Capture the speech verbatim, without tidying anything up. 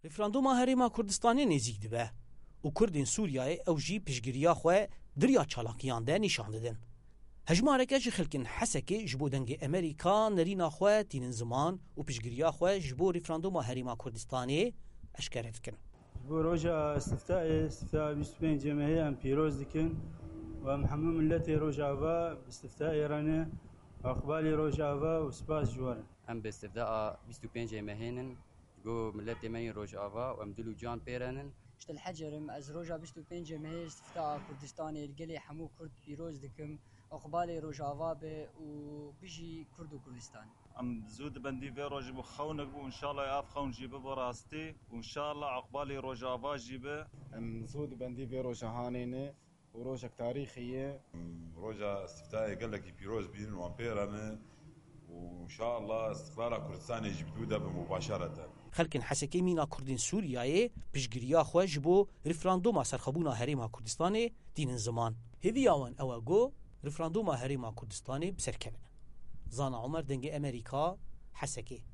Referanduma Herêma Kurdistanê nêzîk dibe û Kurdên Sûriyeyê ew jî piştgiriya xwe di riya çalakiyan de nîşan didin. Hejmareke ji xelkên Hesekê ji bo dengê Amerîka nerîna xwe tînin ziman û piştgiriya xwe ji bo referanduma Herêma Kurdistanê eşkere dikin. Ji bo roja istiftaê, istifta bîst û pêncê mehê em pîroz dikin û em hemû miletê Rojava bi istiftaê re ne, iqbalê Rojava û spas ji we re. Em bi istifta bîst û pêncê mehê nin, ji bo miletê me yên Rojava û em dil û can pê re nin. Ji te li Hecer im, ez roja bîst û pêncê mehê istifta Kurdistanê li gelê hemû Kurd pîroz dikim. Iqbalê Rojava be û bijî Kurd û Kurdistan. Em zû di bendî vê rojê bû xewnek bû, înşallah ev xewn jî bibe rastî û înşallah iqbalê Rojava jî be. Em zû di bendî vê roja hanê ne û rojek tarîxî ye. Roja îstiftayê gelekî pîroz bînin wan pê re ne û înşallah îstiqlala Kurdistanê jî bi dû de bi mubaşereten. Xelkên Hesekê mîna Kurdên Sûriyeyê piştgiriya xwe ji bo referanduma serxwebûna Herêma Kurdistanê tînin ziman. Hêviya wan ew e ku referanduma Herêma Kurdistanê bi ser keve. Zana Omer, Dengê Amerîka, Hesekê.